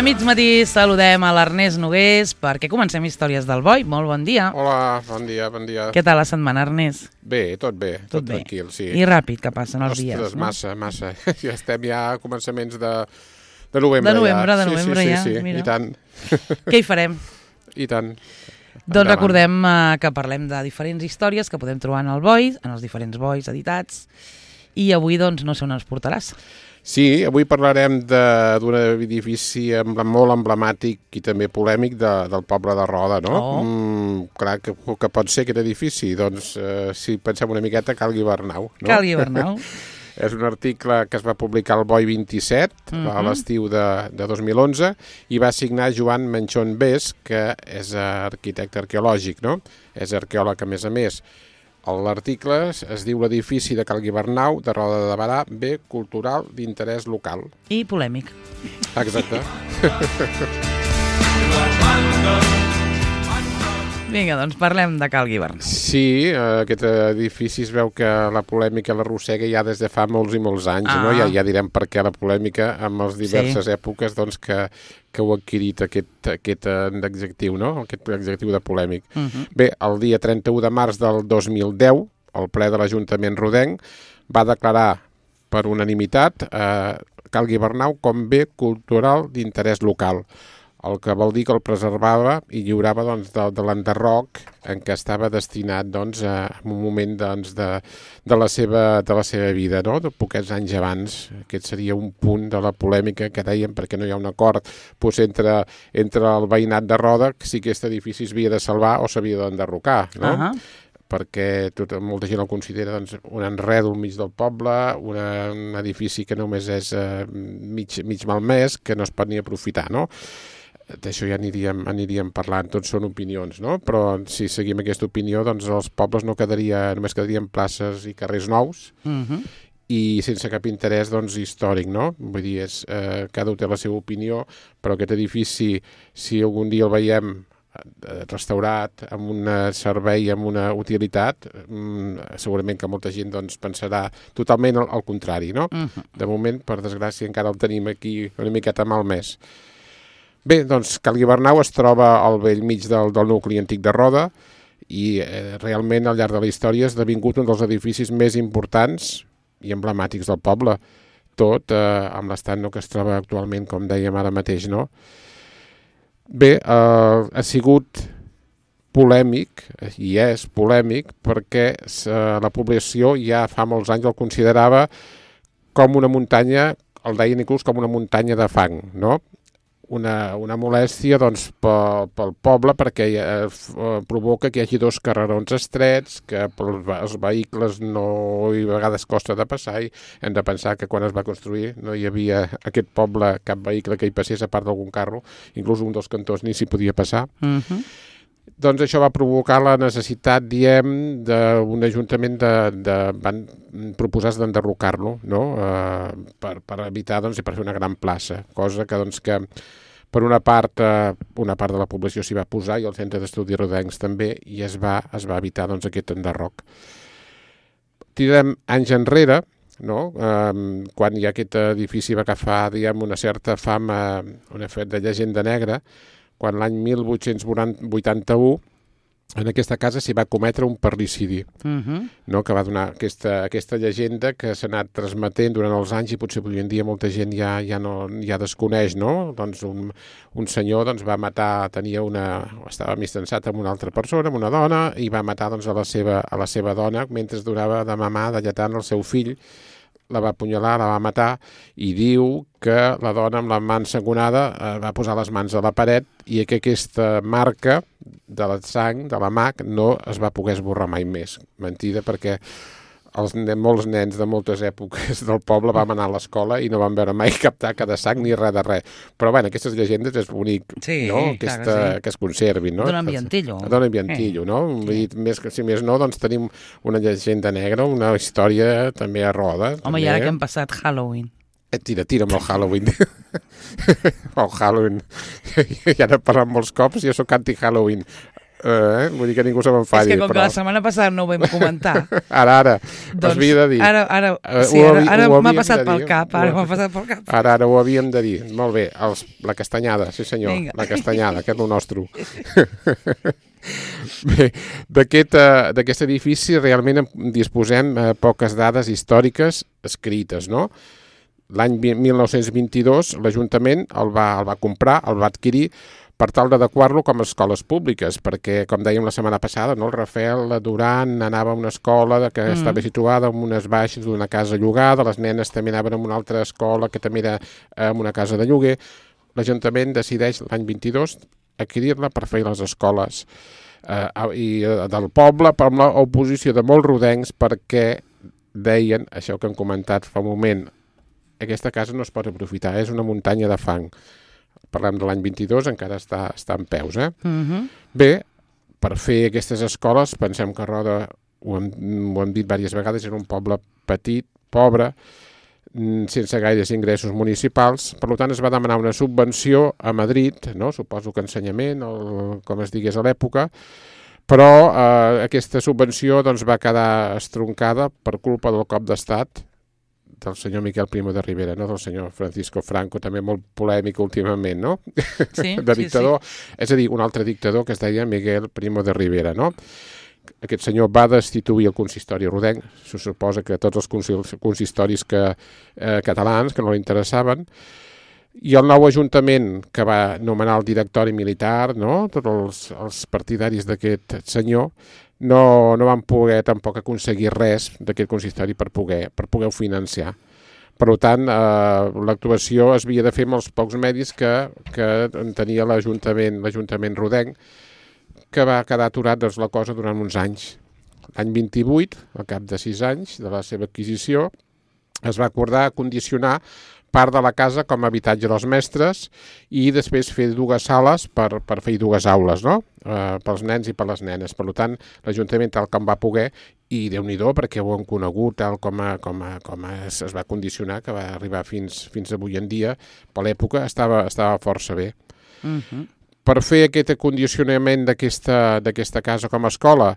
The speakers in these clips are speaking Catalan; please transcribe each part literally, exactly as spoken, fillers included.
a mig matí saludem a l'Ernest Nogués perquè comencem Històries del Boi. Molt bon dia. Hola, bon dia, bon dia. Què tal la setmana, Ernest? Bé, tot bé, tot, Tot bé. tranquil, sí. I ràpid que passen els Ostres, dies, no? massa, massa. Ja estem ja a començaments de, de novembre. De novembre, ja. de novembre sí, sí, ja, sí, sí. mira. I tant. Què hi farem? I tant. Doncs Endavant. recordem eh, que parlem de diferents històries que podem trobar en el Boi, en els diferents Bois editats, i avui doncs no sé on ens portaràs. Sí, avui parlarem de- d'un edifici emble- molt emblemàtic i també polèmic de, del poble de Roda, no? Oh. Mm, clar, que, que pot ser aquest edifici? Doncs, eh, si pensem una miqueta, Cal Guibernau. No? Cal Guibernau. És un article que es va publicar al Boi vint-i-set, Mhm. a l'estiu de, de dos mil onze, i va signar Joan Menchon Bes, que és arquitecte arqueològic, no? És arqueòleg, a més a més. L'article es, es diu l'edifici de Cal Guibernau, de Roda de Barà, bé cultural d'interès local. I polèmic. Exacte. Vinga, doncs parlem de Cal Guibernau. Sí, eh, aquest edifici es veu que la polèmica l'arrossega ja des de fa molts i molts anys, Ah. no? Ja, ja direm per què la polèmica amb les diverses sí. èpoques doncs, que, que heu adquirit aquest, aquest eh, adjectiu, no? Aquest adjectiu de polèmic. Uh -huh. Bé, el dia trenta-u de març del dos mil deu, el ple de l'Ajuntament rodenc va declarar per unanimitat eh, Cal Guibernau com bé cultural d'interès local, el que vol dir que el preservava i lliurava doncs, de, de l'enderroc en què estava destinat doncs, a, en un moment doncs, de, de, la seva, de la seva vida, no? De poquets anys abans. Aquest seria un punt de la polèmica que dèiem perquè no hi ha un acord doncs, entre, entre el veïnat de Roda si aquest edifici s'havia de salvar o s'havia d'enderrocar, no? Uh -huh. perquè tot, molta gent el considera doncs, un enredo al mig del poble, una, un edifici que només és eh, mig, mig malmès, que no es pot ni aprofitar, no? D'això ja aniríem, aniríem parlant, tots són opinions, no? Però si seguim aquesta opinió, doncs els pobles no quedaria, només quedarien places i carrers nous, Uh -huh. i sense cap interès doncs, històric, no? Vull dir, és, eh, cada un té la seva opinió, però aquest edifici, si algun dia el veiem eh, restaurat, amb un servei, amb una utilitat, mm, segurament que molta gent doncs, pensarà totalment al, al contrari, no? Uh -huh. De moment, per desgràcia, encara el tenim aquí una miqueta malmès. Bé, doncs Cal Guibernau es troba al bell mig del, del nucli antic de Roda i eh, realment al llarg de la història ha esdevingut un dels edificis més importants i emblemàtics del poble, tot eh, amb l'estat no, que es troba actualment, com dèiem ara mateix, no? Bé, eh, ha sigut polèmic, i és polèmic, perquè eh, la població ja fa molts anys el considerava com una muntanya, el deien inclús com una muntanya de fang, no? Una, una molèstia doncs, pel, pel poble perquè eh, provoca que hi hagi dos carrerons estrets, que pels, els vehicles no i a vegades costa de passar i hem de pensar que quan es va construir no hi havia aquest poble cap vehicle que hi passés a part d'algun carro, inclús un dels cantons ni s'hi podia passar. Uh -huh. Doncs això va provocar la necessitat, diem, d'un ajuntament de, de, van proposar d'enderrocar-lo, no? eh, per, per evitar doncs, i per fer una gran plaça, cosa que, doncs, que per una part, eh, una part de la població s'hi va posar i el Centre d'Estudis Rodencs també, i es va, es va evitar doncs, aquest enderroc. Tirem anys enrere, no? eh, quan ja aquest edifici va agafar diguem, una certa fama, una fet de llegenda negra, quan l'any mil vuit-cents vuitanta-u en aquesta casa s'hi va cometre un parricidi, Uh -huh. no? Que va donar aquesta, aquesta llegenda que s'ha anat transmetent durant els anys i potser avui en dia molta gent ja, ja, no, ja desconeix, no? Doncs un, un senyor doncs, va matar, tenia una, estava amistançat amb una altra persona, amb una dona, i va matar doncs, a, la seva, a la seva dona mentre donava de mamar, de lletant el seu fill, la va apunyalar, la va matar, i diu que la dona amb la mà ensangonada eh, va posar les mans a la paret i que aquesta marca de la sang, de la mà, no es va poder esborrar mai més. Mentida, perquè els, molts nens de moltes èpoques del poble vam anar a l'escola i no van veure mai cap taca de sang ni res de res. Però, bueno, aquestes llegendes és bonic, Sí, no? clar Aquesta, que sí. que es conservin, no? Dona ambientillo. Dona ambientillo, no? Vull dir, més que, si més no, doncs tenim una llegenda negra, una història també a Roda. Home, i ara que hem passat Halloween. Eh, tira, tira amb el Halloween. El Halloween. Ja n'he parlat molts cops, jo sóc anti-Halloween. Eh, vull dir que ningú se m'enfadi. És que com però... que la setmana passada no ho vam comentar... ara, ara, doncs, havia de dir. Ara, ara, Uh, sí, ara, ara ho m'ha havíem passat de pel dir. cap, ara Ho- m'ha passat pel cap. Ara, ara ho havíem de dir. Molt bé, els, la castanyada, sí senyor, Vinga. la castanyada, que és el nostre. Bé, d'aquest uh, d'aquest edifici realment en disposem uh, poques dades històriques escrites, no? L'any mil nou-cents vint-i-dos l'Ajuntament el va, el va comprar, el va adquirir per tal d'adequar-lo com a escoles públiques, perquè, com dèiem la setmana passada, no, el Rafael Duran anava a una escola que mm. estava situada en unes baixes d'una casa llogada, les nenes també anaven a una altra escola que també era en una casa de lloguer. L'Ajuntament decideix l'any vint-i-dos adquirir-la per fer les escoles eh, i, eh, del poble, per l'oposició de molts rodencs, perquè deien, això que han comentat fa un moment, aquesta casa no es pot aprofitar, és una muntanya de fang. Parlem de l'any vint-i-dos, encara està, està en peus. Eh? Uh-huh. Bé, per fer aquestes escoles, pensem que Roda, ho hem, ho hem dit diverses vegades, era un poble petit, pobre, sense gaires ingressos municipals, per tant es va demanar una subvenció a Madrid, no? Suposo que ensenyament, o com es digués a l'època, però eh, aquesta subvenció doncs, va quedar estroncada per culpa del cop d'estat del senyor Miquel Primo de Rivera, no? Del senyor Francisco Franco, també molt polèmic últimament, no? Sí, de dictador, sí, sí. És a dir, un altre dictador que es deia Miguel Primo de Rivera, no? Aquest senyor va destituir el consistori rodenc, se suposa que tots els consistoris que, eh, catalans que no li interessaven, i el nou ajuntament que va nomenar el directori militar, no? Tots els, els partidaris d'aquest senyor, no, no van poder tampoc aconseguir res d'aquest consistori per poder, per poder financiar. Per tant, eh, l'actuació es havia de fer amb els pocs medis que, que tenia l'Ajuntament l'Ajuntament rodenc, que va quedar aturat doncs, la cosa durant uns anys. L'any vint-i-vuit, al cap de sis anys de la seva adquisició, es va acordar condicionar part de la casa com a habitatge dels mestres i després fer dues sales per, per fer dues aules, no? Eh, pels nens i per les nenes. Per tant, l'Ajuntament tal com va poder, i Déu-n'hi-do perquè ho hem conegut tal com, a, com, a, com a es, es va condicionar, que va arribar fins, fins avui en dia, per l'època estava, estava força bé. Uh-huh. Per fer aquest acondicionament d'aquesta d'aquesta casa com a escola,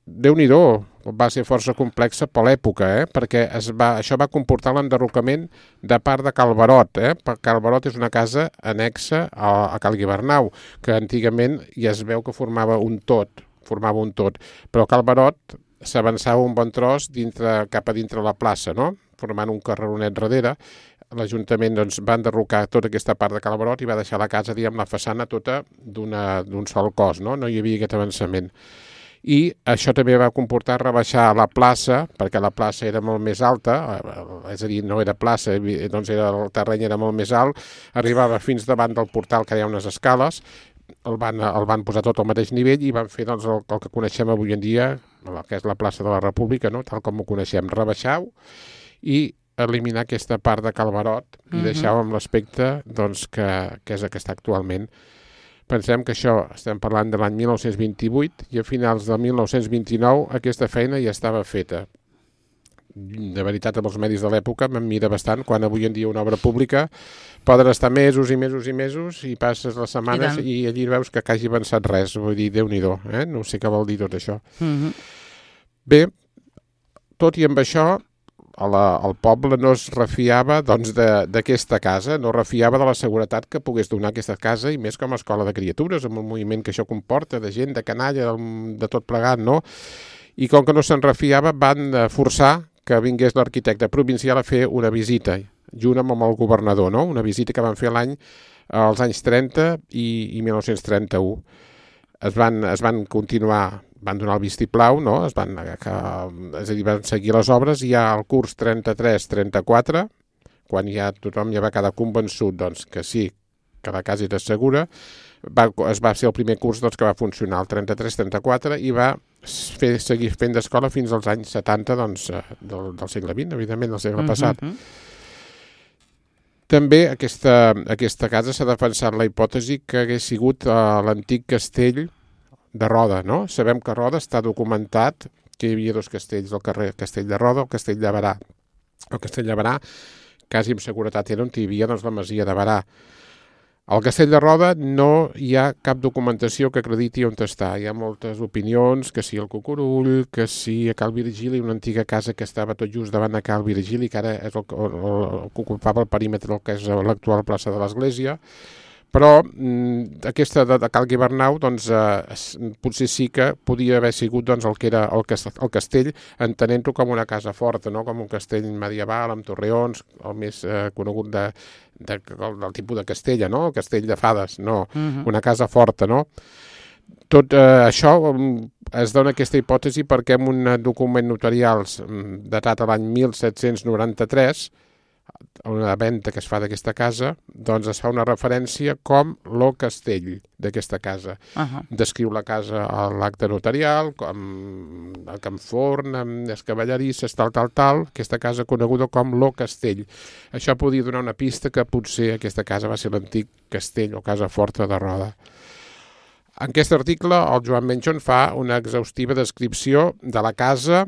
Déu-n'hi-do, va ser força complexa per l'època, eh? Perquè es va, això va comportar l'enderrocament de part de Cal Barot. Eh? Cal Barot és una casa anexa a, a Cal Guibernau, que antigament ja es veu que formava un tot, formava un tot, però Cal Barot s'avançava un bon tros dintre, cap a dintre la plaça, no? Formant un carreronet darrere. L'Ajuntament doncs, va enderrocar tota aquesta part de Cal Barot i va deixar la casa, diguem, la façana tota d'un sol cos, no? No hi havia aquest avançament. I això també va comportar rebaixar la plaça, perquè la plaça era molt més alta, és a dir, no era plaça, doncs era, el terreny era molt més alt, arribava fins davant del portal, que hi ha unes escales, el van, el van posar tot al mateix nivell i van fer doncs, el, el que coneixem avui en dia, que és la plaça de la República, no? Tal com ho coneixem, rebaixar-ho i eliminar aquesta part de Cal Barot i uh-huh. deixar-ho amb l'aspecte doncs, que, que és el que està actualment. Pensem que això, estem parlant de l'any mil nou-cents vint-i-vuit i a finals del mil nou-cents vint-i-nou aquesta feina ja estava feta. De veritat, amb els medis de l'època m'admira bastant, quan avui en dia una obra pública poden estar mesos i mesos i mesos i passes les setmanes i, i allí veus que hagi avançat res, vull dir, Déu-n'hi-do, eh? No sé què vol dir tot això. Uh-huh. Bé, tot i amb això, La, el poble no es refiava doncs, d'aquesta casa, no refiava de la seguretat que pogués donar aquesta casa i més com a escola de criatures, amb el moviment que això comporta, de gent, de canalla, de tot plegat, no? I com que no se'n refiava, van forçar que vingués l'arquitecte provincial a fer una visita, junt amb el governador, no? Una visita que van fer l'any als anys trenta i, i mil nou-cents trenta-u. Es van, es van continuar, van donar el vistiplau, no? Es van, que, és a dir, van seguir les obres i ja al curs trenta-tres trenta-quatre, quan ja tothom ja va quedar convençut doncs, que sí, que la casa era segura, va, es va ser el primer curs doncs, que va funcionar el trenta-tres trenta-quatre i va fer, seguir fent d'escola fins als anys setanta doncs, del, del segle vint, evidentment, del segle uh-huh. passat. També aquesta, aquesta casa s'ha defensat la hipòtesi que hagués sigut uh, l'antic castell de Roda, no? Sabem que a Roda està documentat que hi havia dos castells, el carrer Castell de Roda, el Castell de Barà. El Castell de Barà, quasi amb seguretat, era on hi havia doncs, la masia de Barà. Al Castell de Roda no hi ha cap documentació que acrediti on està. Hi ha moltes opinions, que si el Cucurull, que si a Cal Virgili, una antiga casa que estava tot just davant de Cal Virgili, que ara és el, el, el que ocupava el perímetre del que és l'actual plaça de l'Església. Però mm, aquesta de, de Cal Guibernau, doncs, eh, potser sí que podia haver sigut doncs, el que era el, el castell, entenent-ho com una casa forta, no? Com un castell medieval amb torreons, el més eh, conegut de, de, del, del tipus de Castella, no? El castell de fades, no, uh-huh. Una casa forta, no? Tot eh, això es dona aquesta hipòtesi perquè en un document notarial datat a l'any mil set-cents noranta-tres, una venda que es fa d'aquesta casa, doncs es fa una referència com lo castell d'aquesta casa. Uh-huh. Descriu la casa a l'acte notarial, com el camforn, amb les cavallerisses, tal, tal, tal, aquesta casa coneguda com lo castell. Això podia donar una pista que potser aquesta casa va ser l'antic castell o casa forta de Roda. En aquest article, el Joan Menchon fa una exhaustiva descripció de la casa,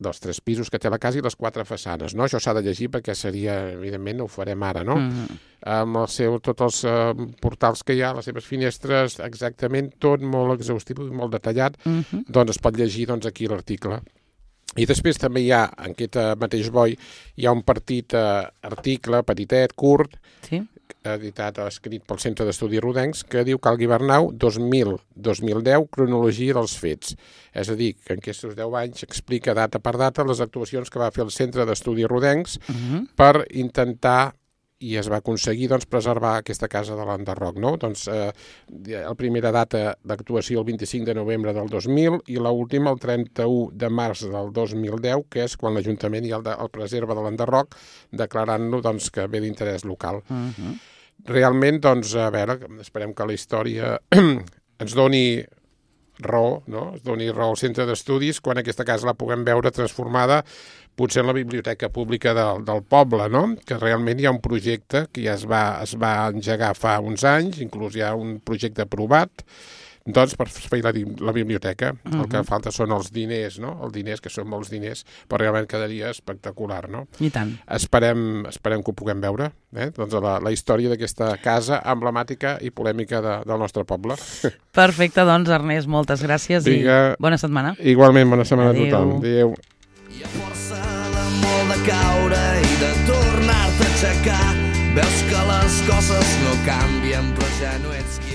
dels tres pisos que té la casa i les quatre façanes, no? Això s'ha de llegir perquè seria, evidentment, ho farem ara, no? Mm-hmm. Amb el seu, tots els uh, portals que hi ha, les seves finestres, exactament tot molt exhaustiu i molt detallat, mm-hmm. Doncs es pot llegir doncs, aquí l'article. I després també hi ha, en aquest mateix boi, hi ha un petit uh, article, petitet, curt, sí. Editat o escrit pel Centre d'Estudis Rodencs, que diu Cal Guibernau dos mil a dos mil deu, cronologia dels fets. És a dir, que en aquests deu anys explica data per data les actuacions que va fer el Centre d'Estudis Rodencs uh-huh. per intentar, i es va aconseguir, doncs, preservar aquesta casa de l'Enderroc, no? Doncs eh, la primera data d'actuació el vint-i-cinc de novembre del dos mil i l'última el trenta-u de març del dos mil deu, que és quan l'Ajuntament ja el, de, el preserva de l'Enderroc, declarant-lo doncs, que ve d'interès local. Uh-huh. Realment, doncs, a veure, esperem que la història ens doni raó, no? Es doni raó al centre d'estudis quan aquesta casa la puguem veure transformada potser en la biblioteca pública del, del poble, no? Que realment hi ha un projecte que ja es va, es va engegar fa uns anys, inclús hi ha un projecte aprovat, doncs per fer la, la biblioteca. Uh-huh. El que falta són els diners, no? Els diners, que són molts diners, però realment quedaria espectacular, no? I tant. Esperem, esperem que ho puguem veure, eh? Doncs la, la història d'aquesta casa emblemàtica i polèmica de, del nostre poble. Perfecte, doncs, Ernest, moltes gràcies. Diga, i bona setmana. Igualment, bona setmana Adeu. A tothom. Adéu. Hi ha força d'amor de caure i de tornar-te a aixecar. Veus que les coses no canvien, però ja no ets qui